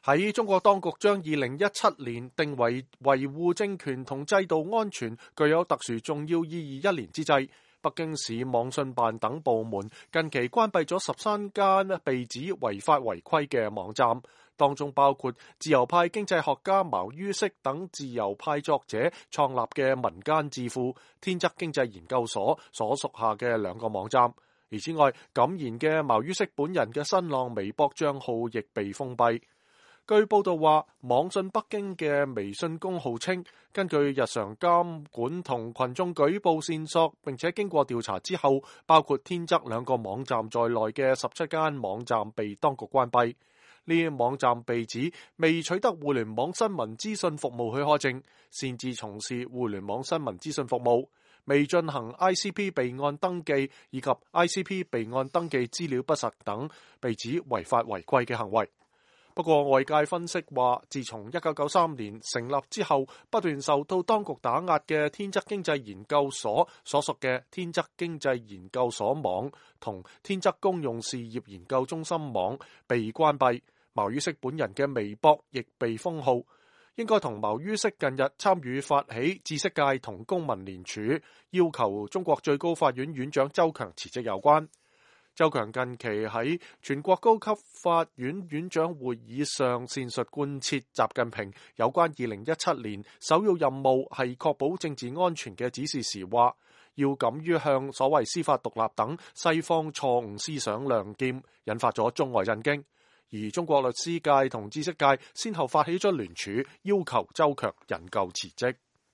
喺中國當局將2017年定為維護政權同制度安全具有特殊重要意義一年之際，北京市網信辦等部門近期關閉咗13間被指違法違規嘅網站，當中包括自由派經濟學家茅于軾等自由派作者創立嘅民間智庫天則經濟研究所所屬下嘅2個網站。而此外，敢言嘅茅于軾本人嘅新浪微博賬號亦被封閉。據報道話，網信北京嘅微信公號稱，根據日常監管同群眾舉報線索，並且經過調查之後，包括天則2個網站在內嘅17間網站被當局關閉。呢啲網站被指未取得互聯網新聞資訊服務許可證，擅自從事互聯網新聞資訊服務，未進行 ICP 備案登記以及 ICP 備案登記資料不實等，被指違法違規嘅行為。不過外界分析話，自從1993年成立之後，不斷受到當局打壓嘅天則經濟研究所所屬嘅天則經濟研究所網同天則公用事業研究中心網被關閉，茅于軾本人嘅微博亦被封號，應該同茅于軾近日參與發起知識界同公民聯署，要求中國最高法院院長周強辭職有關。周強近期喺全國高級法院院長會議上闡述貫徹習近平有關2017年首要任務係確保政治安全嘅指示時話，要敢於向所謂司法獨立等西方錯誤思想亮劍，引發咗中外震驚。而中國律師界同知識界先後發起咗聯署，要求周強引咎辭職。